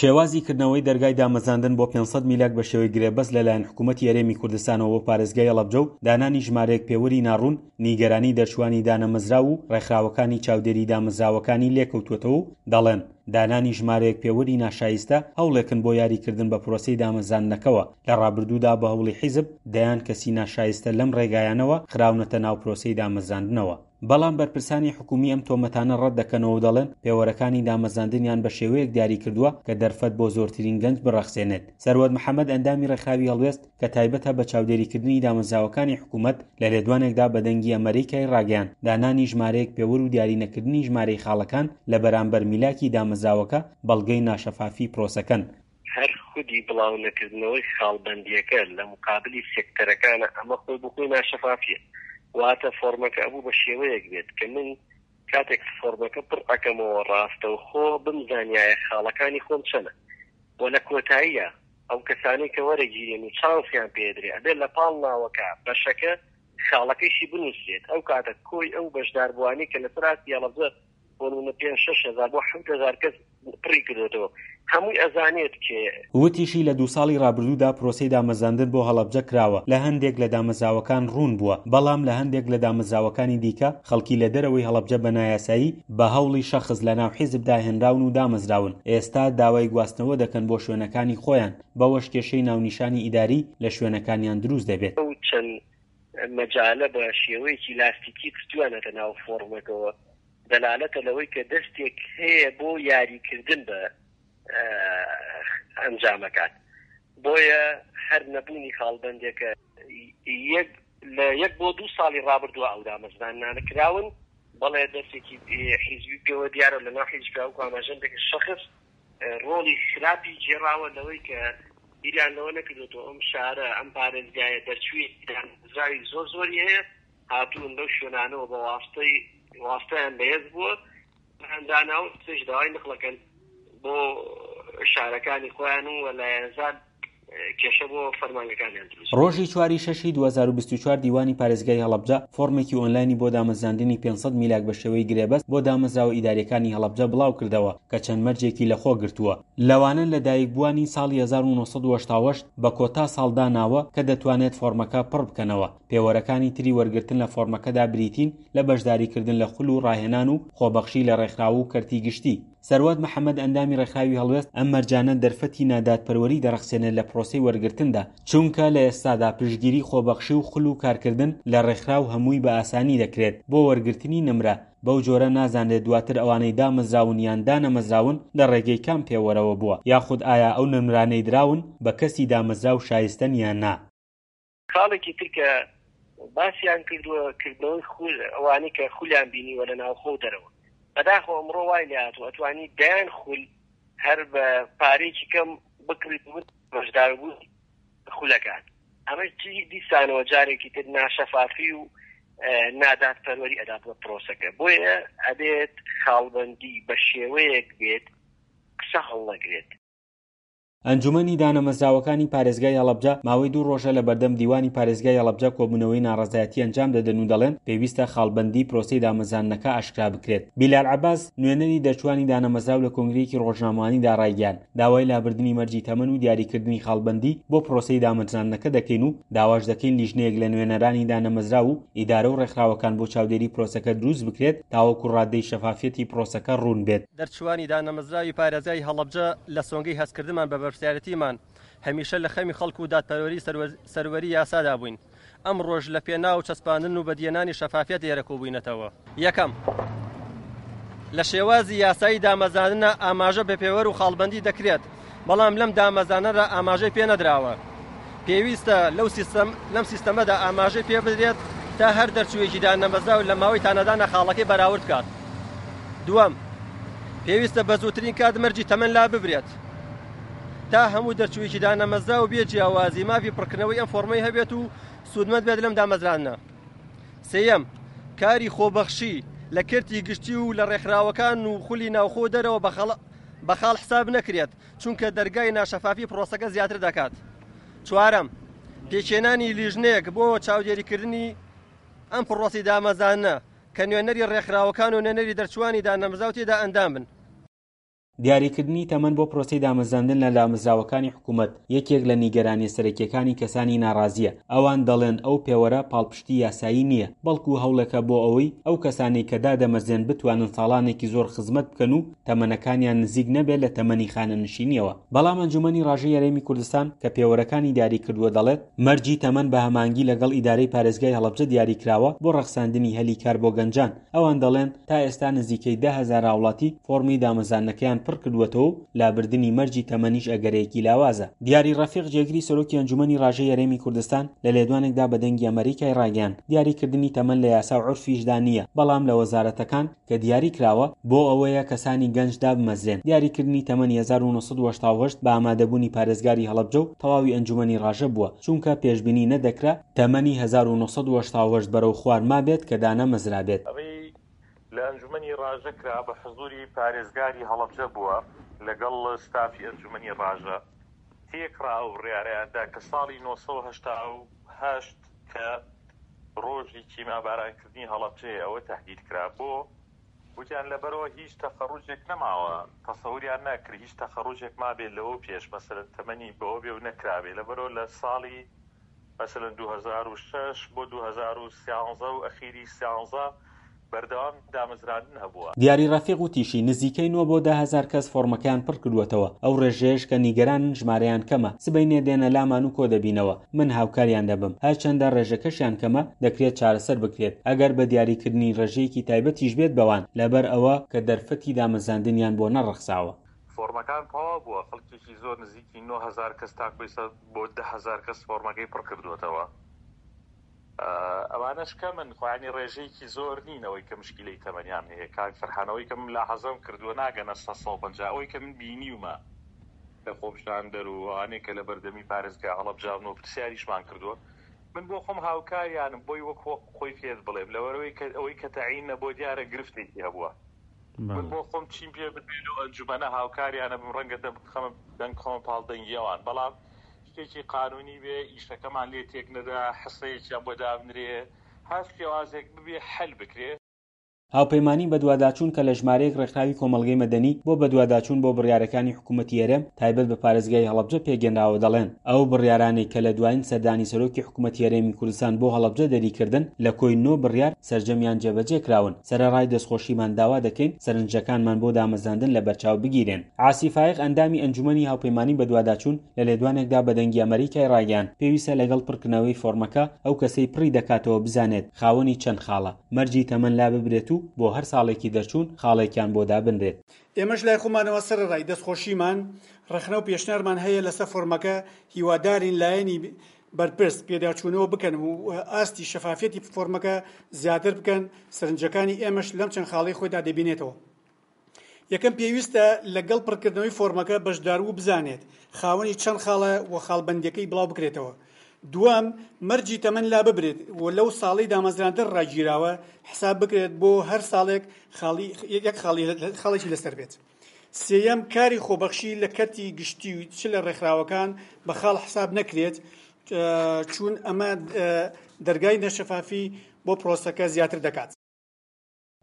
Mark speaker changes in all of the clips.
Speaker 1: شێوازی کردنەوەی دەرگای دامەزراندن بۆ 500 میلاک بە شێوەی گرێبەست لەلایەن حکوومەتی هەرێمی کوردستانەوە بۆ پارێزگای هەڵەبجە و دانانی ژمارەیەک پێوەری ناڕوون نیگەرانی دەرچووانی دانەمەزراو و ڕێکخراوەکانی چاودێری دامەزراوەکانی لێکەوتووەتەوە و دەڵێن دانانی ژمارەیەک پێوەری ناشایستە هەوڵێکن بۆ یاریکردن بە پرۆسەی دامەزراندنەکەوە، لە ڕابردوودا بە هەوڵی حیزب دەیان کەسی ناشایستە لەم ڕێگایانەوە خراونەتە ناو پرۆسەی دامەزراندنەوە. بەڵام بەرپرسانی حکومی ئەم تۆمەتانە ڕەت دەکەنەوە و دەڵێن پێوەرەکانی دامەزراندنیان بە شێوەیەک دیاری کردووە کە دەرفەت بۆ زۆرترین گەنج بڕەخسێنێت. سەروەت محەمەد ئەندامی ڕێکخراوی هەڵوێست کە تایبەتە بە چاودێریکردنی دامەزراوەکانی حکومەت لە لێدوانێکدا بە دەنگی ئەمەریکای ڕاگەیاند دانانی ژمارەیەک پێوەر و دیاری نەکردنی ژمارەی خاڵەکان لە بەرامبەر میلاکی دامەزراوەکە بەڵگەی ناشەفافی پرۆسەکەن.
Speaker 2: هەر خودی بڵاونەکردنەوەی خاڵبەندییەکە لە مقابلی سێکتەرەکانە ئەمە خۆی بۆ خۆی ناشەفافییە. واتە فۆرمەکە ئەبوو بە شێوەیەک بێت کە من کاتێک فۆرمەکە پڕ ئەکەمەوە ڕاستەوخۆ بمزانیایە خاڵەکانی خۆم چەنە و لە کۆتاییا ئەو کەسانەی کە وەرەگیرێن و چانسیان پێدرێ ئەبێت لە پاڵ ناوەکە بەشەکە خاڵەکەیشی بنووسرێت ئەو کاتە کۆی ئەو بەشداربووانەی کە لەسەر ئاستی هەڵەبجە بۆ نمونە پێنج شەش هەزار بۆ 7000 کەس پڕی کردوێتەوە هەمووی ئەزانێت کێ.
Speaker 1: وتیشی، لە دوو ساڵی ڕابردوودا پرۆسەی دامەزراندن بۆ هەڵەبجە کراوە، لە هەندێک لە دامەزراوەکان ڕوون بووە، بەڵام لە هەندێک لە دامەزراوەکانی دیکە خەڵکی لە دەرەوەی هەڵەبجە بە نایاسایی بە هەوڵی شەخس لەناو حیزبدا هێنراون و دامەزراون، ئێستا داوای گواستنەوە دەکەن بۆ شوێنەکانی خۆیان، بەوەش کێشەی ناونیشانی ئیداری لە شوێنەکانیان دروست دەبێت.
Speaker 2: ئەو چەند مەجالە بە شێوەیەکی لاستیکی خستویانەتە ناو فۆڕمەکەوە دەلالەتە لەوەی کە دەستێک هەیە بۆ یاریکردن بە ئەنجامەکان بۆیە هەر نەبوونی خاڵبەندێکە یەک لە یەک بۆ دوو ساڵی ڕابردووە ئەو دامەزراندنانە کراون بەڵێ دەستێکی حیزبی پێوە دیارە لە ناو حیزب وەکو ئاماژەم پێکرد شەخس ڕۆڵی خراپی گێڕاوە لەوەی کە بیریان لەوە نەکردوێتەوە ئەم شارە ئەم پارێزگایە دەرچووی دامەزراوی زۆر زۆری هەیە هاتوون لەو شوێنانەوە بە واستەی واستەیان بەهێز بووە دانا و پێش داوای نقڵەکەن بۆ شارەکانی خۆیان و لایەنزان کێشە بۆ فەرمانگەکانیان دروست.
Speaker 1: ڕۆژی چواری شەشی 2024 دیوانی پارێزگای هەڵەبجە فۆرمێکی ئۆنلاینی بۆ دامەزراندنی 500 میلاک بە شێوەی گرێبەست بۆ دامەزراوە ئیدارییەکانی هەڵەبجە بڵاوکردەوە کە چەند مەرجێکی لەخۆ گرتووە لەوانە لەدایکبووانی ساڵی 1988 بە کۆتا ساڵ داناوە کە دەتوانێت فۆرمەکە پڕ بکەنەوە. پێوەرەکانی تری وەرگرتن لە فۆرمەکەدا بریتین لە بەشداریکردن لە خول و ڕاهێنان و خۆبەخشی لە ڕێکخراو و کەرتی گشتی. سەروەت محەمەد ئەندامی ڕێکخراوی هەڵوێست ئەم مەرجانە دەرفەتی نادادپەروەری دەڕەخسێنێت لە پرۆسەی وەرگرتندا، چونکە لە ئێستادا پشتگیری خۆبەخشی و خول و کارکردن لە ڕێکخراو هەمووی بە ئاسانی دەکرێت بۆ وەرگرتنی نمرە، بەو جۆرە نازانرێت دواتر ئەوانەی دامەزراون یان دانەمەزراون لە ڕێگەی کام پێوەرەوە بووە، یاخود ئایا ئەو نمرانەی دراون بە کەسی دامەزراو شایستەن یان نا.
Speaker 2: خاڵێکی تر کە باسیان کردووە کردنەوەی خول ئەوانەی کە خولیان بینیوە لە ناوخۆ و دەرەوە بەداخەوە ئەمڕۆ وای لێهاتووە ئەتوانی دەیان خول هەر بە پارەیەکی کەم بکڕیت و بەشداربوون خولەکان ئەمە دیسانەوە جارێکی تر ناشەفافی و نادادپەروەری ئەدات بە پرۆسەکە بۆیە ئەبێت خاڵبەندی بە شێوەیەک بێت قسە هەڵنەگرێت.
Speaker 1: ئەنجومەنی دانەمەزراوەکانی پارێزگای هەڵەبجە ماوەی دوو ڕۆژە لە بەردەم دیوانی پارێزگای هەڵەبجە کۆبوونەوەی ناڕەزایەتی ئەنجام دەدەن و دەڵێن پێویستە خاڵبەندی پرۆسەی دامەزراندنەکە ئاشکرا بکرێت. بیلال عەباس، نوێنەری دەرچووانی دانەمەزراو لە کۆنگرەیەکی ڕۆژنامەوانیدا ڕایگەیاند، داوای لابردنی مەرجی تەمەن و دیاریکردنی خاڵبەندی بۆ پرۆسەی دامەزراندنەکە دەکەین و داواش دەکەین لیژنەیەک لە نوێنەرانی دانەمەزراو و ئیدارە و ڕێکخراوەکان بۆ چاودێری پرۆسەکە دروست بکرێت تاوەکو ڕادەی شەفافیەتی پرۆسەکە ڕوون بێت.
Speaker 3: دەرچووانی دانەمەزراوی پارێزگای هەڵەبجە لە سۆنگەی هەستکردنمان بە بەرپرسیارێتیمان هەمیشە لە خەمی خەڵک و دادپەروەری سەروەری یاسادا بووین، ئەمڕۆش لە پێناو چەسپاندن و بەدیهێنانی شەفافیەت لێرە کۆبووینەتەوە. یەکەم، لە شێوازی یاسایی دامەزراندنە ئاماژە بە پێوەر و خاڵبەندی دەکرێت، بەڵام لەم دامەزرانەدا ئاماژەی پێ نەدراوە. پێویستە لەو سیستەم لەم سیستەمەدا ئاماژەی پێ بدرێت تا هەر دەرچوویەکی دانەمەزراو لە ماوەی تانەدانە خاڵەکەی بەراورد بکات. دووەم، پێویستە بە زووترین کات مەرجی تەمەن لا ببرێت تا هەموو دەرچوویەکی دانەمەزراو بێ جیاوازی مافی پڕکردنەوەی ئەم فۆرمەی هەبێت و سوودمەند بێت لەم دامەزراندنە. سێیەم، کاری خۆبەخشی لە کەرتی گشتی و لە ڕێکخراوەکان و خولی ناوخۆ و دەرەوە بە خاڵ حساب نەکرێت، چونکە دەرگای ناشەفافی پرۆسەکە زیاتر دەکات. چوارەم، پێکهێنانی لیژنەیەک بۆ چاودێریکردنی ئەم پرۆسەی دامەزاندنە کە نوێنەری ڕێکخراوەکان و نوێنەری دەرچووانی دانەمەزراو تێیدا ئەندام بن.
Speaker 1: دیاریکردنی تەمەن بۆ پرۆسەی دامەزراندن لە دامەزراوەکانی حکوومەت یەکێک لە نیگەرانییە سەرەکییەکانی کەسانی ناڕازییە، ئەوان دەڵێن ئەو پێوەرە پاڵپشتی یاسایی نییە، بەڵکو هەوڵێکە بۆ ئەوەی ئەو کەسانەی کە دادەمەزرێن بتوانن ساڵانێکی زۆر خزمەت بکەن و تەمەنەکانیان نزیک نەبێت لە تەمەنی خانەنشینییەوە. بەڵام ئەنجومەنی ڕاژەی هەرێمی کوردستان کە پێوەرەکانی دیاری کردووە دەڵێت، مەرجی تەمەن بە هەماهەنگی لەگەڵ ئیدارەی پارێزگای هەڵەبجە دیاری کراوە بۆ ڕەخساندنی هەلی کار بۆ گەنجان، ئەوان دەڵێن، تا ئێستا نزیکەی 10,000 هاوڵاتی فۆڕمی دامەزاندنەکەیان پڕکردووەتەوە و لابردنی مەرجی تەمەنیش ئەگەرێکی لاوازە. دیاری ڕەفیق جێگری سەرۆکی ئەنجومەنی ڕاژەی هەرێمی کوردستان لە لێدوانێکدا بە دەنگی ئەمەریکای ڕاگەیاند، دیاریکردنی تەمەن لە یاسا و عورفیشدا نییە، بەڵام لە وەزارەتەکان کە دیاری کراوە بۆ ئەوەیە کەسانی گەنج دابمەزرێن، دیاریکردنی تەمەنی 1988 بە ئامادەبوونی پارێزگاری هەڵەبجە و تەواوی ئەنجومەنی ڕاژە بووە، چونکە پێشبینی نەدەکرا تەمەنی 1988 بەرەو خوار مابێت کە دانەمەزرابێت.
Speaker 4: ئەوەی لە ئەنجومەنی ڕاژە کرا بە حزوری پارێزگاری هەڵەبجە بووە لەگەڵ ستافی ئەنجومەنی ڕاژە تێکڕا ئەو بڕیارەیان دا کە ساڵی 988 کە ڕۆژی کیمیابارانکردنی هەڵەبجەیە ئەوە تەهدید کرا بۆ وتیان لەبەرئەوە هیچ تەخەڕوجێک نەماوە تەسەوریان نەکرد هیچ تەخەڕوجێک مابێت لەوە پێش مەسەلەن تەمەنی بەوە بێ و نەکرابێ لەبەرئەوە لە ساڵی مەسەلەن 2006 بۆ 2013 و ئەخیری سیانزە بەردەوام دامەزراندن هەبووە.
Speaker 1: دیاری ڕەفیق وتیشی، نزیکەی نۆ بۆ 10,000 کەس فۆڕمەکەیان پڕکردووەتەوە، ئەو ڕێژەیەش کە نیگەرانن ژمارەیان کەمە، سبەینێ دێنە لامان و کۆدەبینەوە، من هاوکاریان دەبم، هەرچەندە ڕێژەکەشیان کەمە، دەکرێت چارەسەر بکرێت، ئەگەر بە دیاریکردنی ڕێژەیەکی تایبەتیش بێت بەوان، لەبەر ئەوە کە دەرفەتی دامەزراندنیان بۆ نەڕەخساوە.
Speaker 4: فۆڕمەکان تەواو بووە، خەڵکێکی زۆر نزیکی 9000 کەس تاکو ئێستا بۆ 10000 کەس فۆڕمەکەی پڕکردووەتەوە. ئەوانەش کەمن خۆ یانی ڕێژەیەکی زۆر نین ئەوەی کە مشکیلەی تەمەنیان هەیە کاک فەرحان ئەوەی کە من ملاحەزەم کردووە ناگەنە 350 ئەوەی کە من بینیومە لە خۆپیشاندەر و ئەوانەی کە لە بەردەمی پارێزگای هەڵەبجەن و پرسیاریشمان کردووە من بۆ خۆم هاوکاریانم بۆی وەک خۆی پێت بڵێم لەوەرەوەی کە ئەوەی کە تەعین نەبووە دیارە گرفتێکی هەبووە من بۆ خۆم چیم پێ بدرێ لەو ئەنجومەنە هاوکاریانە بم ڕەنگە دەم بخەمە دەنگ بخەمە پاڵ دەنگی ئەوان بەڵام شتێکی قانونی بێ ئیشەکەمان لێ تێک نەدا حسەیەکیان بۆ دابنرێ هەر شێوازێک ببێ حەل بکرێ.
Speaker 1: هاوپەیمانی بەدواداچوون کە لە ژمارەیەک ڕێکخراوی کۆمەڵگەی مەدەنی بۆ بەدواداچوون بۆ بڕیارەکانی حکوومەتی هەرێم تایبەت بە پارێزگای هەڵەبجە پێکهێنراوە دەڵێن ئەو بڕیارانەی کە لە دوایین سەردانی سەرۆکی حکوومەتی هەرێمی کوردستان بۆ هەڵەبجە دەریکردن لە کۆی نۆ بڕیار سەرجەمیان جێبەجێ کراون سەرەڕای دەستخۆشیمان داوا دەکەین سەرنجەکانمان بۆ دامەزراندن لەبەرچاو بگیرێن. عاسی فایق ئەندامی ئەنجومەنی هاوپەیمانی بەدواداچوون لە لێدوانێکدا بە دەنگی ئەمەریکای ڕاگەیاند، پێویستە لەگەڵ پڕکردنەوەی فۆڕمەکە ئەو کەسەی پڕی دەکاتەوە بزانێت خاوەنی چەند خاڵە، مەرجی تەمەن لاببرێت و بۆ هەر ساڵێکی دەرچوون خاڵێکیان بۆ دابنرێت.
Speaker 5: ئێمەش لای خۆمانەوە سەرەڕای دەستخۆشیمان، ڕەخنە و پێشنیارمان هەیە لەسەر فۆرمەکە، هیوادارین لایەنی بەرپرس پێداچوونەوە بکەن و ئاستی شەفافیەتی فۆرمەکە زیاتر بکەن، سەرنجەکانی ئێمەش لەم چەند خاڵەی خۆیدا دەبینێتەوە. یەکەم پێویستە لەگەڵ پڕکردنەوەی فۆرمەکە بەشداربوو بزانێت خاوەنی چەند خاڵە و خاڵبەندیەکەی بڵاو بکرێتەوە. دووەم، مەرجی تەمەن لاببرێت و لەو ساڵەی دامەزراندن ڕاگیراوە حساب بکرێت بۆ هەر ساڵێک خاڵی یەک خاڵی خاڵێکی لەسەر بێت. سێیەم، کاری خۆبەخشی لە کەرتی گشتی و چ لە ڕێکخراوەکان بە خاڵ حساب نەکرێت چوون ئەمە دەرگای نەشەفافی بۆ پرۆسەکە زیاتر دەکات.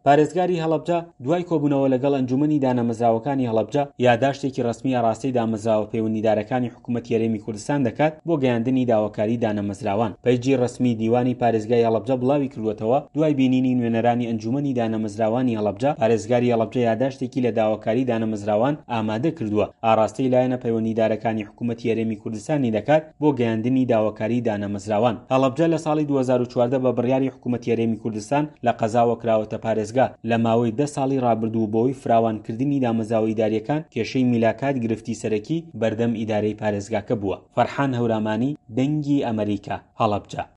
Speaker 1: پارێزگاری هەڵەبجە دوای کۆبوونەوە لەگەڵ ئەنجومەنی دانەمەزراوەکانی هەڵەبجە یاداشتێکی ڕەسمی ئاڕاستەی دامەزراوە پەیوەندیدارەکانی حکوومەتی هەرێمی کوردستان دەکات بۆ گەیاندنی داواکاری دانەمەزراوان. پەیجی ڕەسمی دیوانی پارێزگای هەڵەبجە بڵاویکردووەتەوە، دوای بینینی نوێنەرانی ئەنجومەنی دانەمەزراوانی هەڵەبجە، پارێزگاری هەڵەبجە یاداشتێکی لە داواکاری دانەمەزراوان ئامادە کردووە، ئاڕاستەی لایەنە پەیوەندیدارەکانی حکوومەتی هەرێمی کوردستانی دەکات بۆ گەیاندنی داواکاری دانەمەزراوان. هەڵەبجە لە ساڵی 2014 بە بڕیاری حکوومەتی هەرێمی کوردستان لە قەزاوە کراوەتە پارێزگا، لە ماوەی دە ساڵی ڕابردوو بەهۆی فراوانکردنی دامەزراوە ئیدارییەکان کێشەی میلاکات گرفتی سەرەکی بەردەم ئیدارەی پارێزگاکە بووە. فەرحان هەورامانی، دەنگی ئەمەریکا، هەڵەبجە.